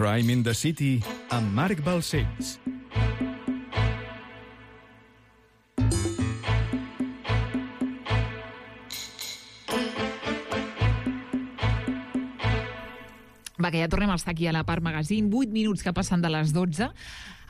Crime in the City amb Marc Balcells. Va, que ja tornem a estar aquí a la Part Magazine, 8 minuts que passen de les 12.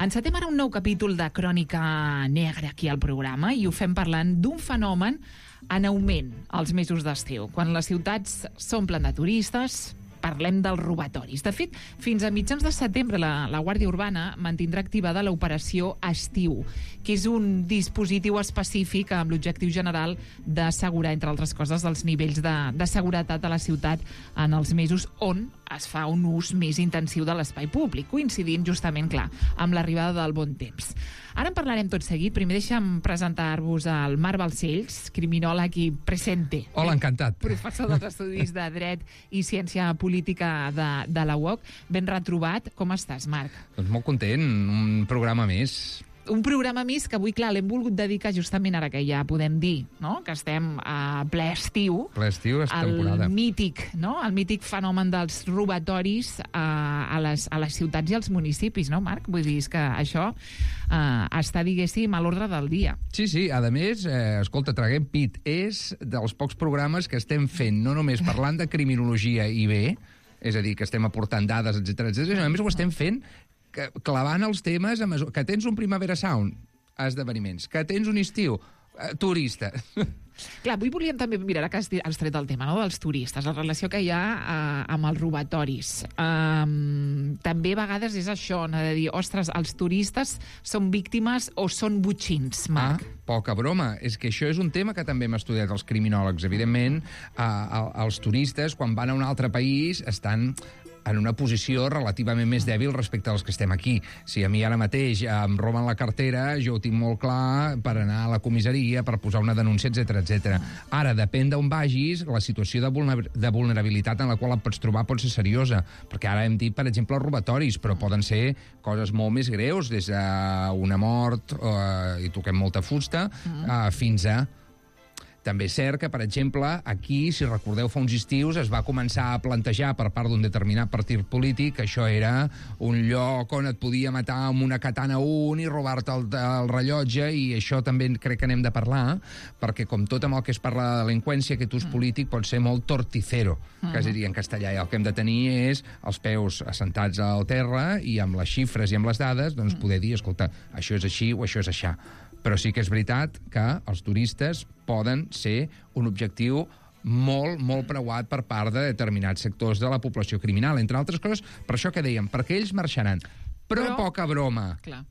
Encetem ara un nou capítol de Crònica Negra aquí al programa i ho fem parlant d'un fenomen en augment als mesos d'estiu. Quan les ciutats s'omplen de turistes, parlem dels robatoris. De fet, fins a mitjans de setembre la Guàrdia Urbana mantindrà activada l'operació Estiu, que és un dispositiu específic amb l'objectiu general d'assegurar, entre altres coses, els nivells de seguretat a la ciutat en els mesos on es fa un ús més intensiu de l'espai públic, coincidint justament, clar, amb l'arribada del bon temps. Ara en parlarem tot seguit. Primer deixa'm presentar-vos al Marc Balcells, criminòleg i presente. Hola, encantat. Professor dels Estudis de Dret i Ciència Política de la UOC. Ben retrobat. Com estàs, Marc? Doncs molt content, un programa més. Un programa més que avui, clar, l'hem volgut dedicar justament ara que ja podem dir, no?, que estem a ple estiu. Ple estiu, és temporada. El mític fenomen dels robatoris a les ciutats i als municipis, no, Marc? Vull dir, és que això està, diguéssim, a l'ordre del dia. Sí, a més, escolta, traguem pit, és dels pocs programes que estem fent, no només parlant de criminologia i bé, és a dir, que estem aportant dades, etcètera, a més ho estem fent clavant els temes a mesura. Que tens un Primavera Sound, esdeveniments. Que tens un estiu, turista. Clar, avui volíem també mirar que has tret el tema, no?, dels turistes, la relació que hi ha amb els robatoris. També a vegades és això, no?, de dir, ostres, els turistes són víctimes o són botxins, Marc? Poca broma. És que això és un tema que també hem estudiat els criminòlegs. Evidentment, els turistes, quan van a un altre país, estan en una posició relativament més dèbil respecte als que estem aquí. Si a mi ara mateix em roben la cartera, jo ho tinc molt clar per anar a la comissaria, per posar una denúncia, etc. Ara, depèn d'on vagis, la situació de vulnerabilitat en la qual et pots trobar pot ser seriosa, perquè ara hem dit, per exemple, els robatoris, però poden ser coses molt més greus, des d'una mort, i toquem molta fusta, fins a... També és cert que, per exemple, aquí, si recordeu, fa uns estius es va començar a plantejar per part d'un determinat partit polític que això era un lloc on et podia matar amb una katana i robar-te el rellotge, i això també crec que n'hem de parlar, perquè com tot amb el que es parla de delinqüència, aquest ús polític pot ser molt torticero, que es diria en castellà, i el que hem de tenir és els peus assentats al terra i amb les xifres i amb les dades doncs poder dir, escolta, això és així o això és aixà. Però sí que és veritat que els turistes poden ser un objectiu molt, molt preuat per part de determinats sectors de la població criminal. Entre altres coses, per això que dèiem, perquè ells marxaran. Però poca broma. Clar.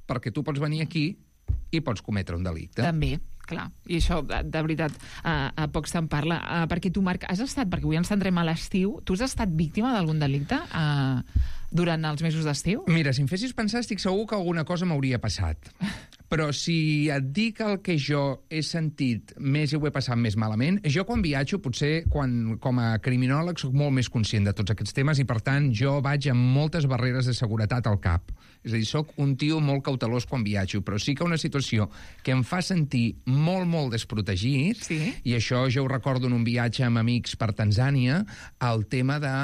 Perquè tu pots venir aquí i pots cometre un delicte. També, clar. I això, de veritat, a poc se'n parla. Perquè tu, Marc, has estat, perquè avui ens centrem a l'estiu, tu has estat víctima d'algun delicte durant els mesos d'estiu? Mira, si em fessis pensar, estic segur que alguna cosa m'hauria passat. Però si et dic el que jo he sentit més i ho he passat més malament, jo quan viatjo, potser com a criminòleg soc molt més conscient de tots aquests temes i, per tant, jo vaig amb moltes barreres de seguretat al cap. És a dir, soc un tio molt cautelós quan viatjo, però sí que una situació que em fa sentir molt, molt desprotegit, i això jo ho recordo en un viatge amb amics per Tanzània, el tema de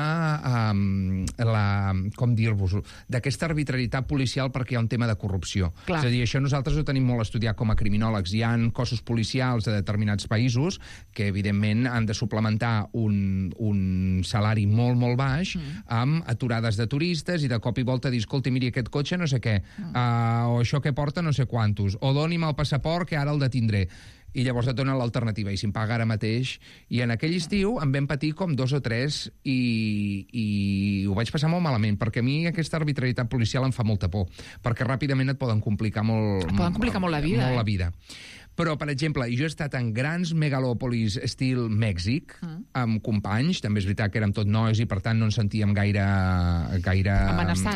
com dir-vos, d'aquesta arbitrarietat policial perquè hi ha un tema de corrupció. Clar. És a dir, això nosaltres ho tenim molt estudiat com a criminòlegs. Hi ha cossos policials de determinats països que, evidentment, han de suplementar un salari molt, molt baix amb aturades de turistes i de cop i volta dir, escolta, miri, aquest cotxe no sé què, o això que porta no sé quantos, o doni'm el passaport que ara el detindré. I llavors et donen l'alternativa, i si em paga ara mateix. I en aquell estiu em vam patir com 2 o 3 i ho vaig passar molt malament, perquè a mi aquesta arbitrarietat policial em fa molta por, perquè ràpidament et poden complicar molt, la vida. Molt la vida. Però, per exemple, jo he estat en grans megalòpolis estil Mèxic, amb companys, també és veritat que érem tot nois i per tant no ens sentíem gaire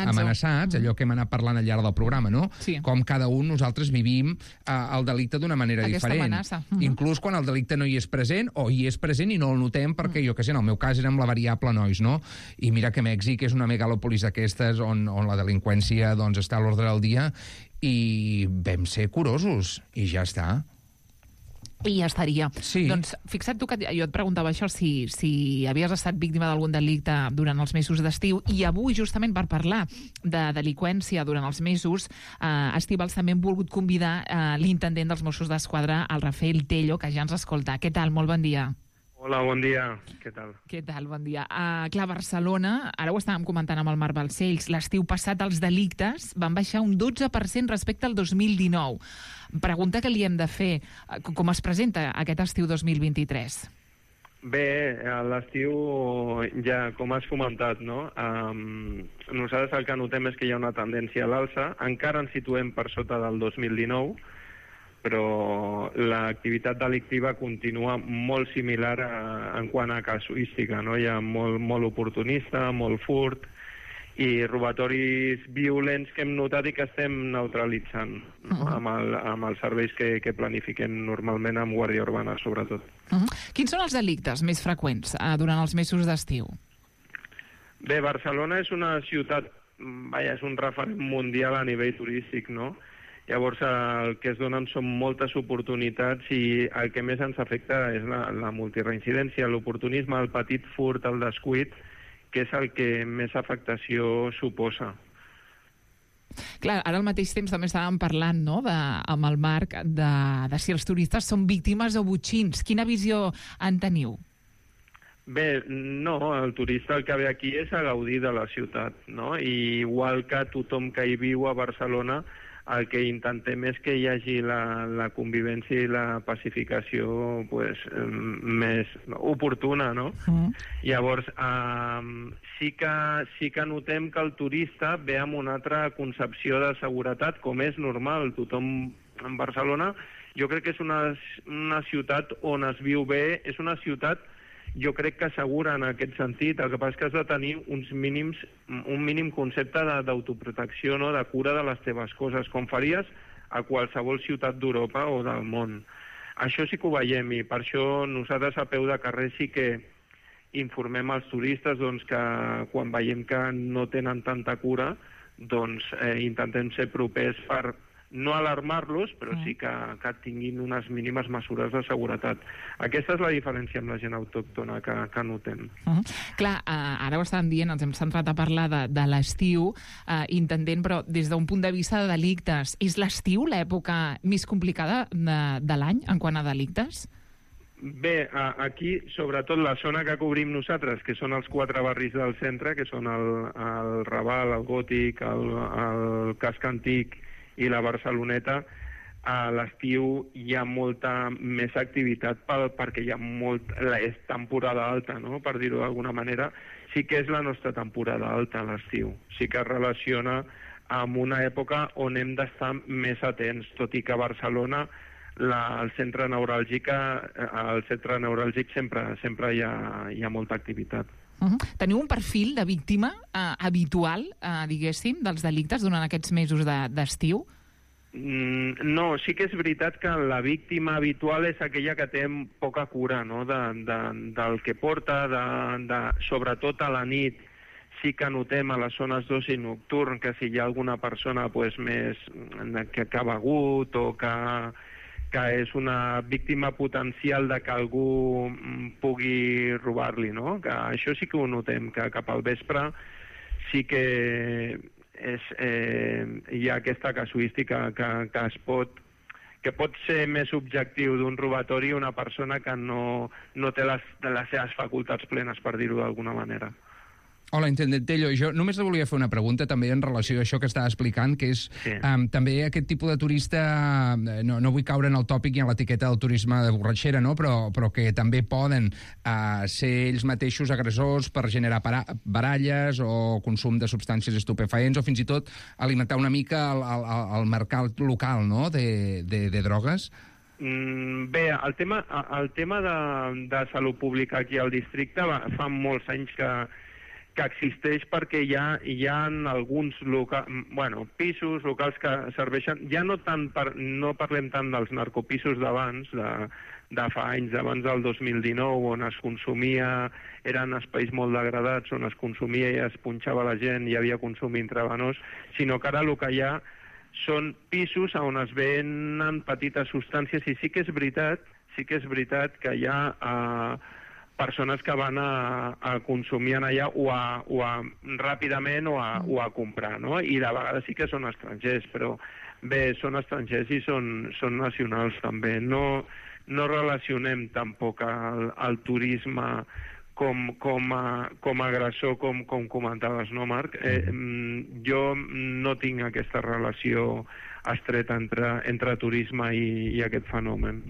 amenaçats, allò que hem anat parlant al llarg del programa, no? Sí. Com cada un nosaltres vivim el delicte d'una manera diferent. Amenaça. Inclús quan el delicte no hi és present, o hi és present i no el notem perquè, jo què sé, en el meu cas érem la variable nois, no? I mira que Mèxic és una megalòpolis d'aquestes on la delinqüència doncs, està a l'ordre del dia, i vam ser curosos, i ja està. i ja estaria. Sí. Doncs fixa't tu que jo et preguntava això, si havies estat víctima d'algun delicte durant els mesos d'estiu, i avui, justament per parlar de delinqüència durant els mesos, Estivals també hem volgut convidar l'intendent dels Mossos d'Esquadra, el Rafael Tello, que ja ens escolta. Què tal? Molt bon dia. Hola, bon dia. Què tal? Què tal? Bon dia. Clar, Barcelona, ara ho estàvem comentant amb el Marc Balcells, l'estiu passat els delictes van baixar un 12% respecte al 2019. Pregunta que li hem de fer. Com es presenta aquest estiu 2023? Bé, a l'estiu, ja com has comentat, no? Nosaltres el que notem és que hi ha una tendència a l'alça. Encara ens situem per sota del 2019, però l'activitat delictiva continua molt similar en quant a casuística, no? Hi ha molt oportunista, molt furt i robatoris violents que hem notat i que estem neutralitzant, no? amb els serveis que planifiquem normalment amb Guàrdia Urbana, sobretot. Quins són els delictes més freqüents durant els mesos d'estiu? Bé, Barcelona és una ciutat, és un referent mundial a nivell turístic, no? Llavors, el que es donen són moltes oportunitats i el que més ens afecta és la multireincidència, l'oportunisme, el petit furt, el descuit, que és el que més afectació suposa. Clar, ara al mateix temps també estàvem parlant, no?, amb el Marc, de si els turistes són víctimes o botxins. Quina visió en teniu? Bé, no, el turista el que ve aquí és a gaudir de la ciutat, no? I igual que tothom que hi viu a Barcelona, el que intentem és que hi hagi la convivència i la pacificació més oportuna, no? Llavors, sí que notem que el turista ve amb una altra concepció de seguretat, com és normal. Tothom en Barcelona, jo crec que és una ciutat on es viu bé, és una ciutat jo crec que segura en aquest sentit. El que passa és que has de tenir un mínim concepte d'autoprotecció, no? De cura de les teves coses, com faries a qualsevol ciutat d'Europa o del món. Això sí que ho veiem i per això nosaltres a peu de carrer sí que informem als turistes que quan veiem que no tenen tanta cura, intentem ser propers per no alarmar-los, però sí que tinguin unes mínimes mesures de seguretat. Aquesta és la diferència amb la gent autòctona que notem. Clar, ara ho estàvem dient, ens hem centrat a parlar de l'estiu, intendent, però des d'un punt de vista de delictes, és l'estiu l'època més complicada de l'any en quant a delictes? Bé, aquí, sobretot la zona que cobrim nosaltres, que són els 4 barris del centre, que són el Raval, el Gòtic, el Casc Antic i la Barceloneta, a l'estiu hi ha molta més activitat perquè és temporada alta, no? Per dir-ho d'alguna manera. Sí que és la nostra temporada alta, l'estiu. Sí que es relaciona amb una època on hem d'estar més atents, tot i que a Barcelona al centre neuràlgic sempre hi ha molta activitat. Teniu un perfil de víctima habitual, diguéssim, dels delictes durant aquests mesos d'estiu? No, sí que és veritat que la víctima habitual és aquella que té poca cura, no? Del que porta, sobretot a la nit. Sí que notem a les zones d'oci nocturn que si hi ha alguna persona més que ha begut o que és una víctima potencial de que algú pugui robar-li, no? Que això sí que ho notem, que cap al vespre sí que hi ha aquesta casuística que pot ser més objectiu d'un robatori una persona que no té les seves facultats plenes, per dir-ho d'alguna manera. Hola, intendent Tello. Jo només li volia fer una pregunta també en relació a això que estava explicant, que és també aquest tipus de turista, no vull caure en el tòpic i en l'etiqueta del turisme de borratxera, no? però que també poden ser ells mateixos agressors per generar baralles o consum de substàncies estupefaents o fins i tot alimentar una mica el mercat local, no? de drogues. Bé, el tema de salut pública aquí al districte fa molts anys que existeix perquè hi ha alguns pisos locals que serveixen, ja no parlem tant dels narcopisos d'abans, de fa anys, d'abans del 2019, on es consumia, eren espais molt degradats, on es consumia i es punxava la gent, hi havia consum intravenós, sinó que ara el que hi ha són pisos on es venen petites substàncies i sí que és veritat, sí que és veritat que hi ha persones que van a consumir en allà ràpidament o a comprar, no? I de vegades sí que són estrangers, però bé, són estrangers i són nacionals també. No relacionem tampoc el turisme com a agressor, com comentaves, no, Marc? Jo no tinc aquesta relació estreta entre turisme i aquest fenomen.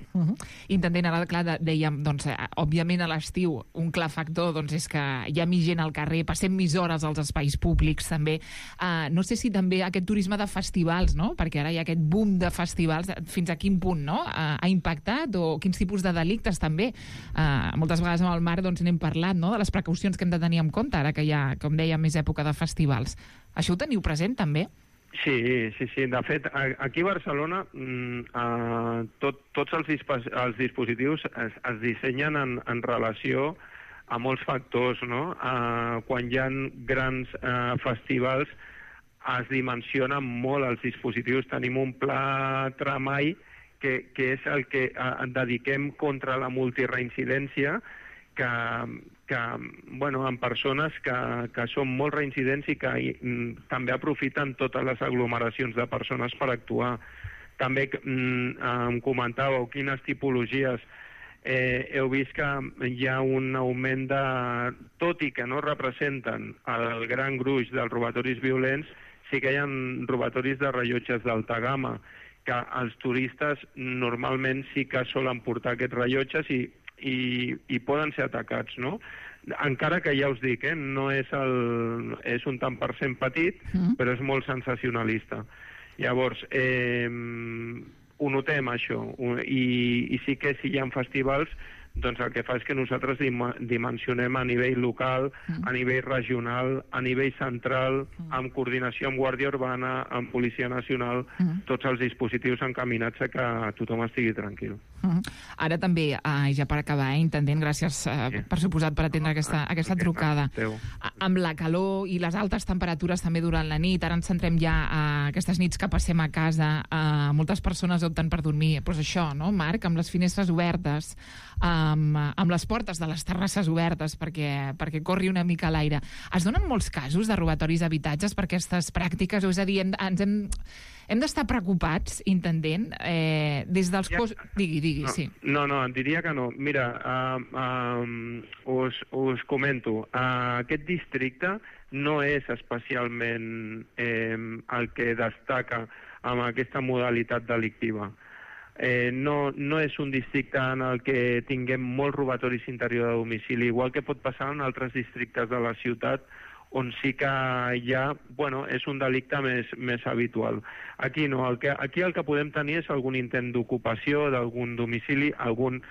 Intendent, ara, clar, dèiem, doncs, òbviament a l'estiu un clar factor doncs, és que hi ha més gent al carrer, passem més hores als espais públics també. No sé si també aquest turisme de festivals, no? Perquè ara hi ha aquest boom de festivals, fins a quin punt, no? Ha impactat, o quins tipus de delictes també. Moltes vegades amb el Marc doncs, n'hem parlat, no? De les precaucions que hem de tenir en compte ara que hi ha, com deia, més època de festivals. Això ho teniu present també? Sí. De fet, aquí a Barcelona tots els dispositius es dissenyen en relació a molts factors, no? Quan hi ha grans festivals es dimensionen molt els dispositius. Tenim un pla Tramai que és el que dediquem contra la multireincidència, en persones que són molt reincidents i que també aprofiten totes les aglomeracions de persones per actuar. També em comentàveu quines tipologies. Heu vist que hi ha un augment tot i que no representen el gran gruix dels robatoris violents, sí que hi ha robatoris de rellotges d'alta gamma, que els turistes normalment sí que solen portar aquests rellotges i poden ser atacats, no? Encara que ja us dic, no és un tant per cent petit, però és molt sensacionalista. Llavors, ho notem, això, i sí que si hi ha festivals, doncs el que fa és que nosaltres dimensionem a nivell local, a nivell regional, a nivell central, amb coordinació amb Guàrdia Urbana, amb Policia Nacional, tots els dispositius encaminats a que tothom estigui tranquil. Ara també, ja per acabar, intendent, gràcies per suposat per atendre aquesta trucada. Amb la calor i les altes temperatures també durant la nit, ara ens centrem ja a aquestes nits que passem a casa, moltes persones opten per dormir, doncs això, no, Marc, amb les finestres obertes, amb les portes de les terrasses obertes perquè corri una mica l'aire. Es donen molts casos de robatoris d'habitatges per aquestes pràctiques? És a dir, hem d'estar preocupats, intendent, des dels Digui, sí. No, em diria que no. Mira, us comento. Aquest districte no és especialment el que destaca amb aquesta modalitat delictiva. No és un districte en el que tinguem molts robatoris interior de domicili, igual que pot passar en altres districtes de la ciutat on sí que ja, és un delicte més habitual. Aquí no, aquí el que podem tenir és algun intent d'ocupació d'algun domicili, algun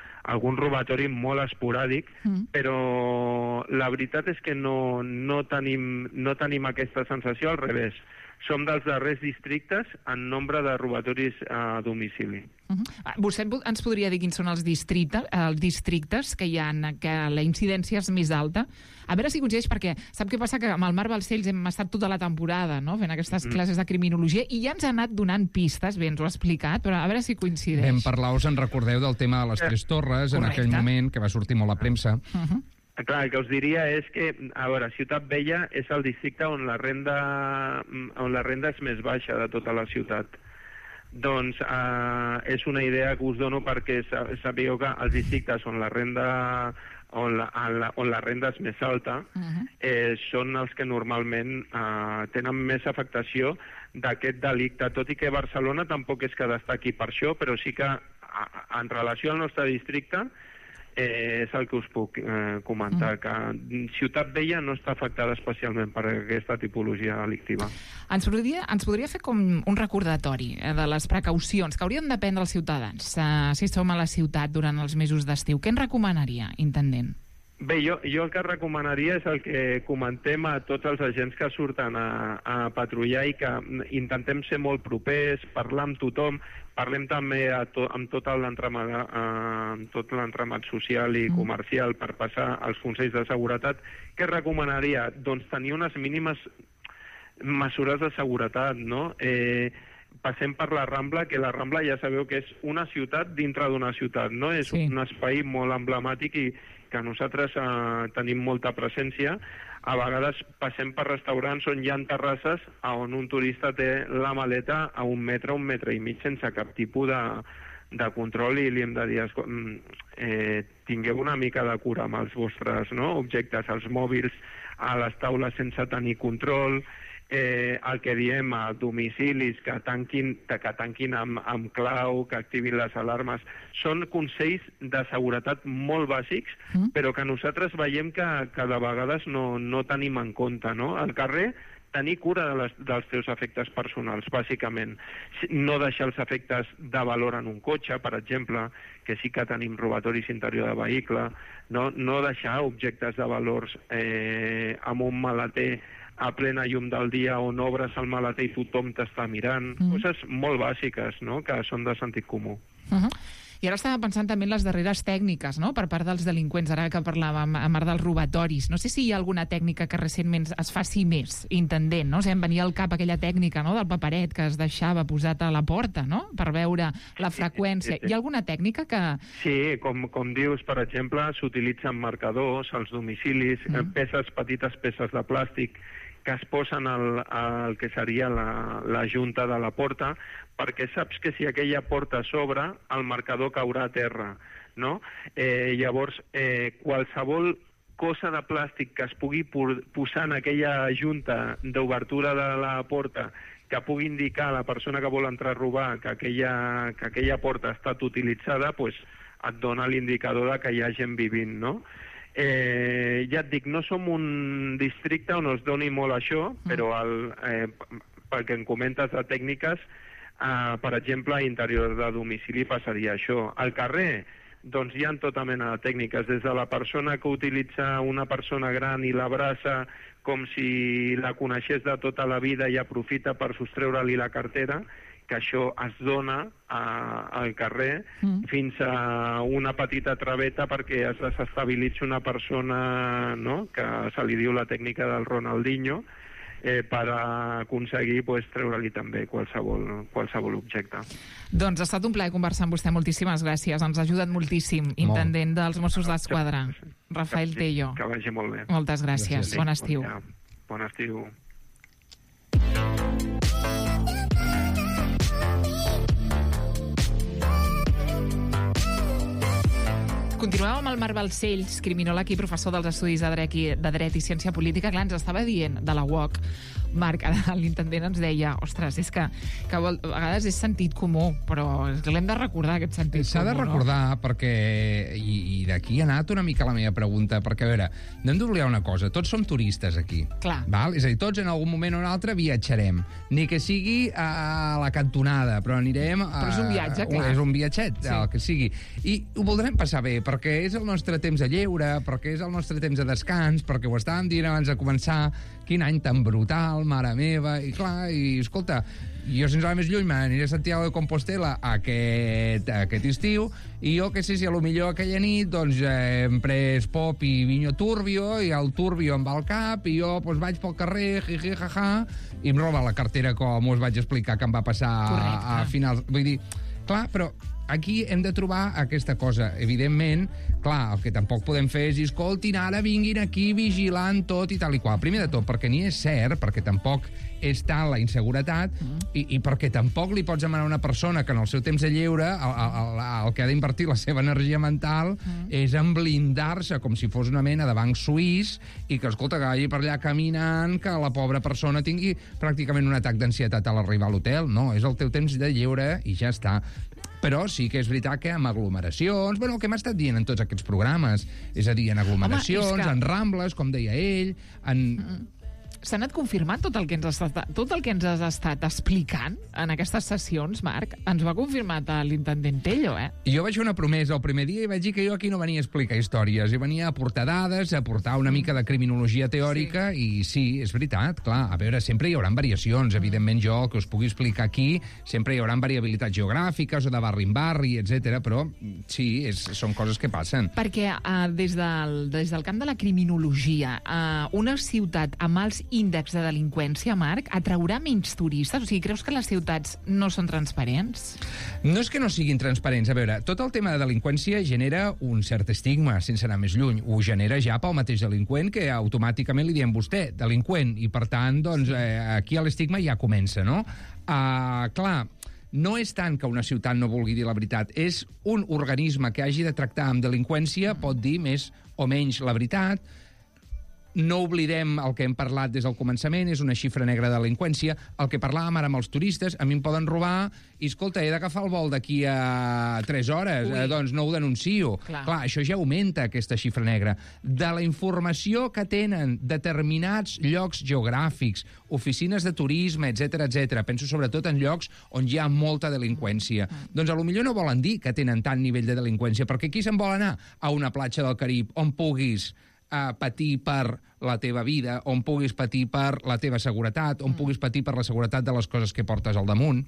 robatori molt esporàdic, però la veritat és que no tenim aquesta sensació, al revés. Som dels darrers districtes en nombre de robatoris a domicili. Vostè ens podria dir quins són els districtes que hi ha en què la incidència és més alta? A veure si coincideix, perquè sap què passa? Que amb el Marc Balcells hem estat tota la temporada, no?, fent aquestes classes de criminologia i ja ens ha anat donant pistes, bé, ens ho ha explicat, però a veure si coincideix. Vam parlar, us en recordeu, del tema de les Tres Torres, en aquell moment, que va sortir molt a premsa. Clar, el que us diria és que, a veure, Ciutat Vella és el districte on la renda és més baixa de tota la ciutat. Doncs és una idea que us dono perquè sapigueu que els districtes on la renda és més alta són els que normalment tenen més afectació d'aquest delicte, tot i que Barcelona tampoc és que destaqui per això, però sí que en relació al nostre districte és el que us puc comentar, que Ciutat Vella no està afectada especialment per aquesta tipologia delictiva. Ens podria fer com un recordatori de les precaucions que haurien de prendre els ciutadans si som a la ciutat durant els mesos d'estiu. Què en recomanaria, intendent? Bé, jo el que recomanaria és el que comentem a tots els agents que surten a patrullar i que intentem ser molt propers, parlar amb tothom, parlem també amb tot l'entramat social i comercial per passar als consells de seguretat. Què recomanaria? Doncs tenir unes mínimes mesures de seguretat, no? passem per la Rambla, que la Rambla ja sabeu que és una ciutat dintre d'una ciutat, no? És un espai molt emblemàtic i que nosaltres tenim molta presència. A vegades passem per restaurants on hi ha terrasses on un turista té la maleta a 1 metre, 1 metre i mig, sense cap tipus de control, i li hem de dir, tingueu una mica de cura amb els vostres objectes, els mòbils a les taules sense tenir control, el que diem a domicilis, que tanquin amb clau, que activin les alarmes. Són consells de seguretat molt bàsics, però que nosaltres veiem que de vegades no tenim en compte, no? Al carrer, tenir cura dels teus efectes personals, bàsicament. No deixar els efectes de valor en un cotxe, per exemple, que sí que tenim robatoris interior de vehicle, no deixar objectes de valors amb un maleter a plena llum del dia on obres el maleter i tothom t'està mirant. Coses molt bàsiques, no?, que són de sentit comú. I ara estava pensant també en les darreres tècniques, no?, per part dels delinqüents, ara que parlàvem a part dels robatoris. No sé si hi ha alguna tècnica que recentment es faci més, intendent, no? O sigui, em venia al cap aquella tècnica, no?, del paperet que es deixava posat a la porta, no?, per veure la freqüència. Hi ha alguna tècnica que... Sí, com dius, per exemple, s'utilitzen marcadors als domicilis, petites peces de plàstic que es posen al que seria la junta de la porta, perquè saps que si aquella porta s'obre, el marcador caurà a terra, no? Llavors, qualsevol cosa de plàstic que es pugui posar en aquella junta d'obertura de la porta, que pugui indicar a la persona que vol entrar a robar que aquella porta ha estat utilitzada, doncs et dona l'indicador de que hi ha gent vivint, no? Ja et dic, no som un districte on es doni molt això, però pel que em comentes de tècniques, per exemple, a interior de domicili passaria això. Al carrer, doncs hi ha tota mena de tècniques, des de la persona que utilitza una persona gran i l'abraça com si la coneixés de tota la vida i aprofita per sostreure-li la cartera, que això es dona al carrer, fins a una petita traveta perquè es desestabilitzi una persona, no?, que se li diu la tècnica del Ronaldinho, per aconseguir treure-li també qualsevol objecte. Doncs ha estat un plaer conversar amb vostè. Moltíssimes gràcies. Ens ha ajudat moltíssim, intendent dels Mossos d'Esquadra, Rafael Tello. Que vagi molt bé. Moltes gràcies. Bon estiu. Bon estiu. Continuem amb el Marc Balcells, criminòleg i professor dels estudis de dret i ciència política. Clar, ens estava dient de la UOC, Marc, l'intendent ens deia, ostres, és que a vegades és sentit comú, però l'hem de recordar, aquest sentit comú, no? S'ha de recordar, perquè, i d'aquí ha anat una mica la meva pregunta, perquè, a veure, no hem d'oblidar una cosa, tots som turistes aquí. Clar. Val? És a dir, tots en algun moment o un altre viatjarem. Ni que sigui a la cantonada, però anirem... Però és un viatge, clar. És un viatget, el que sigui. I ho voldrem passar bé, perquè és el nostre temps de lleure, perquè és el nostre temps de descans, perquè ho estàvem dient abans de començar, quin any tan brutal, mare meva, i clar, i escolta, jo sense anar més lluny m'aniré a Santiago de Compostela aquest estiu, i jo que sé si a lo millor aquella nit doncs hem pres pop i vinyo turbio, i el turbio em va al cap, i jo doncs vaig pel carrer, jiji, jaja, i em roba la cartera com us vaig explicar que em va passar a finals... Vull dir, clar, però aquí hem de trobar aquesta cosa. Evidentment, clar, el que tampoc podem fer és dir, escoltin, ara vinguin aquí vigilant tot i tal i qual. Primer de tot, perquè ni és cert, perquè tampoc és tal la inseguretat, i perquè tampoc li pots demanar a una persona que en el seu temps de lleure el que ha d'invertir la seva energia mental és en blindar-se com si fos una mena de banc suís i que, escolta, que vagi per allà caminant, que la pobra persona tingui pràcticament un atac d'ansietat a l'arribar a l'hotel. No, és el teu temps de lleure i ja està. Però sí que és veritat que amb aglomeracions, bueno, el que hem estat dient en tots aquests programes, és a dir, en aglomeracions, en rambles, com deia ell, en... S'ha anat confirmant tot el que ens has estat explicant en aquestes sessions, Marc. Ens ho ha confirmat l'intendent Tello, Jo vaig fer una promesa el primer dia i vaig dir que jo aquí no venia a explicar històries, i venia a aportar dades, a aportar una mica de criminologia teòrica, i sí, és veritat, clar, a veure, sempre hi haurà variacions, evidentment jo, que us pugui explicar aquí, sempre hi haurà variabilitats geogràfiques o de barri en barri, etc. Però sí, són coses que passen. Perquè des del camp de la criminologia, una ciutat amb alts índex de delinqüència, Marc, atraurà menys turistes? O sigui, creus que les ciutats no són transparents? No és que no siguin transparents. A veure, tot el tema de delinqüència genera un cert estigma, sense anar més lluny. Ho genera ja pel mateix delinqüent, que automàticament li diem vostè, delinqüent, i per tant, doncs, aquí l'estigma ja comença, no? Clar, no és tant que una ciutat no vulgui dir la veritat, és un organisme que hagi de tractar amb delinqüència, pot dir més o menys la veritat. No oblidem el que hem parlat des del començament, és una xifra negra de delinqüència. El que parlàvem ara amb els turistes, a mi em poden robar i, escolta, he d'agafar el vol d'aquí a 3 hores, doncs no ho denuncio. Clar, això ja augmenta, aquesta xifra negra. De la informació que tenen determinats llocs geogràfics, oficines de turisme, etc, penso sobretot en llocs on hi ha molta delinqüència. Doncs potser no volen dir que tenen tant nivell de delinqüència, perquè qui se'n vol anar a una platja del Carib on puguis patir per la teva vida, on puguis patir per la teva seguretat, on puguis patir per la seguretat de les coses que portes al damunt.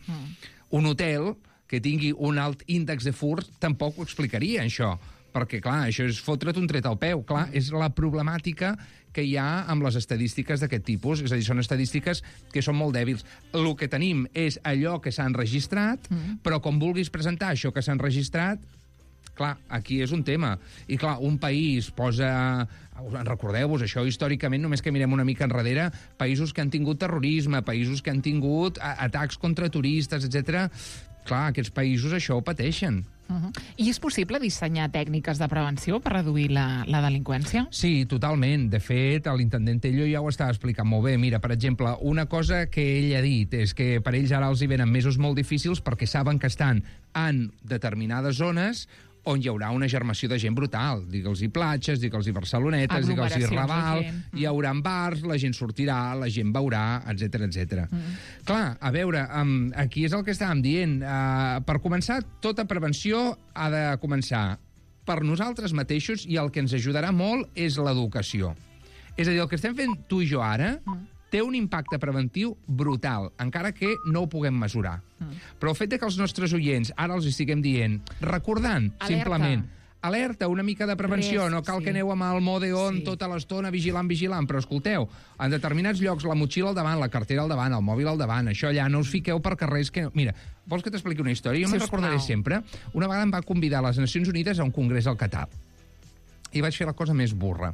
Un hotel que tingui un alt índex de furt tampoc ho explicaria, això, perquè, clar, això és fotre't un tret al peu. Clar, és la problemàtica que hi ha amb les estadístiques d'aquest tipus. És a dir, són estadístiques que són molt dèbils. El que tenim és allò que s'ha enregistrat, però com vulguis presentar això que s'ha enregistrat, clar, aquí és un tema. I, clar, un país posa... Recordeu-vos, això històricament, només que mirem una mica enrere, països que han tingut terrorisme, països que han tingut atacs contra turistes, etc. Clar, aquests països això ho pateixen. I és possible dissenyar tècniques de prevenció per reduir la delinqüència? Sí, totalment. De fet, l'intendent Tello ja ho estava explicant molt bé. Mira, per exemple, una cosa que ell ha dit és que per ells ara els hi venen mesos molt difícils perquè saben que estan en determinades zones on hi haurà una germació de gent brutal. Digue'ls-hi platges, digue'ls-hi Barcelonetes, digue'ls-hi Raval, hi haurà bars, la gent sortirà, la gent veurà, etc. Clar, a veure, aquí és el que estàvem dient. Per començar, tota prevenció ha de començar per nosaltres mateixos i el que ens ajudarà molt és l'educació. És a dir, el que estem fent tu i jo ara té un impacte preventiu brutal, encara que no ho puguem mesurar. Però el fet que els nostres oients ara els estiguem dient, recordant, simplement, alerta, una mica de prevenció, no cal que aneu amb el mode on tota l'estona vigilant, però escolteu, en determinats llocs la motxilla al davant, la cartera al davant, el mòbil al davant, això allà, no us fiqueu per carrers que... Mira, vols que t'expliqui una història? Jo me'n recordaré sempre. Una vegada em va convidar a les Nacions Unides a un congrés al Qatar. I vaig fer la cosa més burra.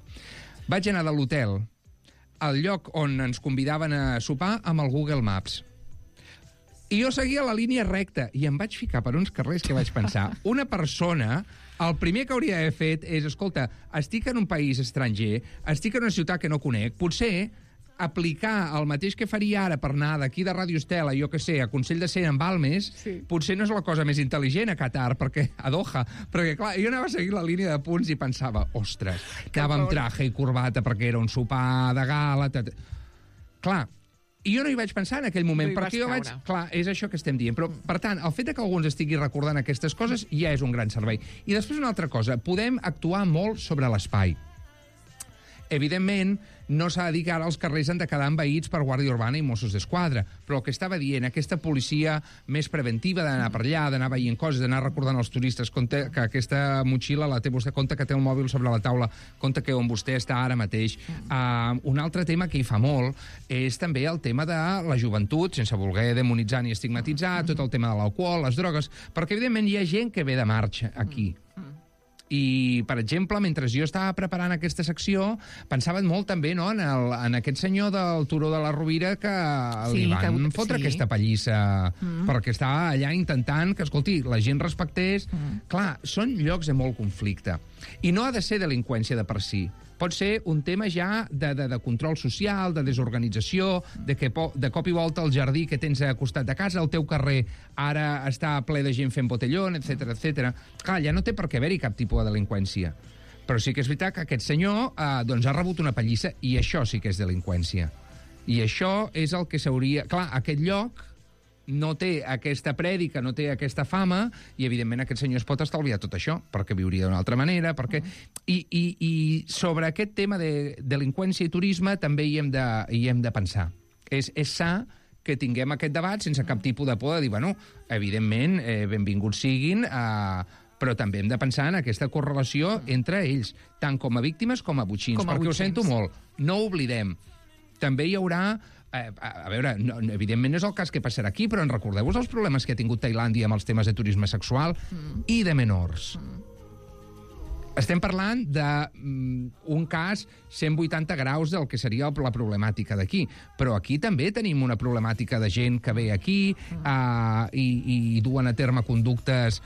Vaig anar de l'hotel al lloc on ens convidaven a sopar amb el Google Maps. I jo seguia la línia recta i em vaig ficar per uns carrers que vaig pensar, una persona, el primer que hauria d'haver fet és, escolta, estic en un país estranger, estic en una ciutat que no conec, potser aplicar el mateix que faria ara per anar d'aquí de Ràdio Estela, jo que sé, a Consell de Cent en Balmes, potser no és la cosa més intel·ligent a Qatar, perquè a Doha, perquè, clar, jo anava a seguir la línia de punts i pensava, ostres, anava amb traje i corbata perquè era un sopar de gala... Clar, i jo no hi vaig pensar en aquell moment, perquè jo vaig... Clar, és això que estem dient. Però, per tant, el fet que algú ens estigui recordant aquestes coses ja és un gran servei. I després una altra cosa, podem actuar molt sobre l'espai. Evidentment, no s'ha de dir que ara els carrers han de quedar envaïts per Guàrdia Urbana i Mossos d'Esquadra, però el que estava dient, aquesta policia més preventiva d'anar per allà, d'anar veient coses, d'anar recordant als turistes que aquesta motxilla la té vostè, compte que té el mòbil sobre la taula, compte que on vostè està ara mateix. Un altre tema que hi fa molt és també el tema de la joventut, sense voler demonitzar ni estigmatitzar, tot el tema de l'alcohol, les drogues, perquè evidentment hi ha gent que ve de marxa aquí. I, per exemple, mentre jo estava preparant aquesta secció, pensaven molt també en aquest senyor del Turó de la Rovira que li van fotre aquesta pallissa perquè estava allà intentant que, escolti, la gent respectés. Clar, són llocs de molt conflicte. I no ha de ser delinqüència de per si. Pot ser un tema ja de control social, de desorganització, de cop i volta el jardí que tens a costat de casa, el teu carrer ara està ple de gent fent botellón, etc. Clar, ja no té per què haver-hi cap tipus de delinqüència. Però sí que és veritat que aquest senyor ha rebut una pallissa i això sí que és delinqüència. I això és el que s'hauria... Clar, aquest lloc no té aquesta prèdica, no té aquesta fama, i evidentment aquest senyor es pot estalviar tot això, perquè viuria d'una altra manera, perquè... I sobre aquest tema de delinqüència i turisme també hi hem de pensar. És sa que tinguem aquest debat sense cap tipus de por de dir, bueno, evidentment, benvinguts siguin, però també hem de pensar en aquesta correlació entre ells, tant com a víctimes com a botxins, perquè ho sento molt, no oblidem, també hi haurà... a veure, evidentment no és el cas que passarà aquí, però en recordeu-vos els problemes que ha tingut Tailàndia amb els temes de turisme sexual i de menors. Estem parlant d'un cas 180 graus del que seria la problemàtica d'aquí. Però aquí també tenim una problemàtica de gent que ve aquí i duen a terme conductes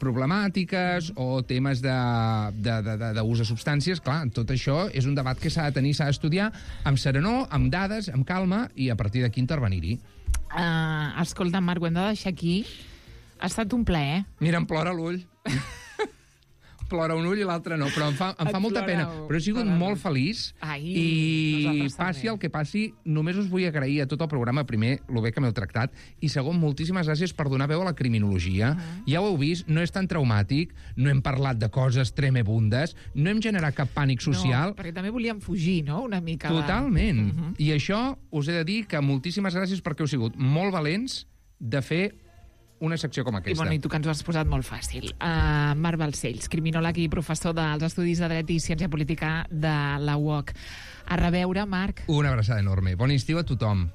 problemàtiques o temes d'ús de substàncies. Clar, tot això és un debat que s'ha de tenir, s'ha d'estudiar amb serenor, amb dades, amb calma i a partir d'aquí intervenir-hi. Escolta, Marc, ho hem de deixar aquí. Ha estat un plaer. Mira, em plora l'ull. Plora un ull i l'altre no, però em fa molta pena. Però he sigut molt feliç i passi el que passi, només us vull agrair a tot el programa, primer, lo bé que m'heu tractat, i segon, moltíssimes gràcies per donar veu a la criminologia. Ja ho heu vist, no és tan traumàtic, no hem parlat de coses tremebundes, no hem generat cap pànic social. No, perquè també volíem fugir, no?, una mica. Totalment. I això us he de dir que moltíssimes gràcies perquè heu sigut molt valents de fer una secció com aquesta. I, bueno, i tu que ens ho has posat molt fàcil. Marc Balcells, criminòleg i professor dels Estudis de Dret i Ciència Política de la UOC. A reveure, Marc. Una abraçada enorme. Bon estiu a tothom.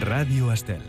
Ràdio Estel.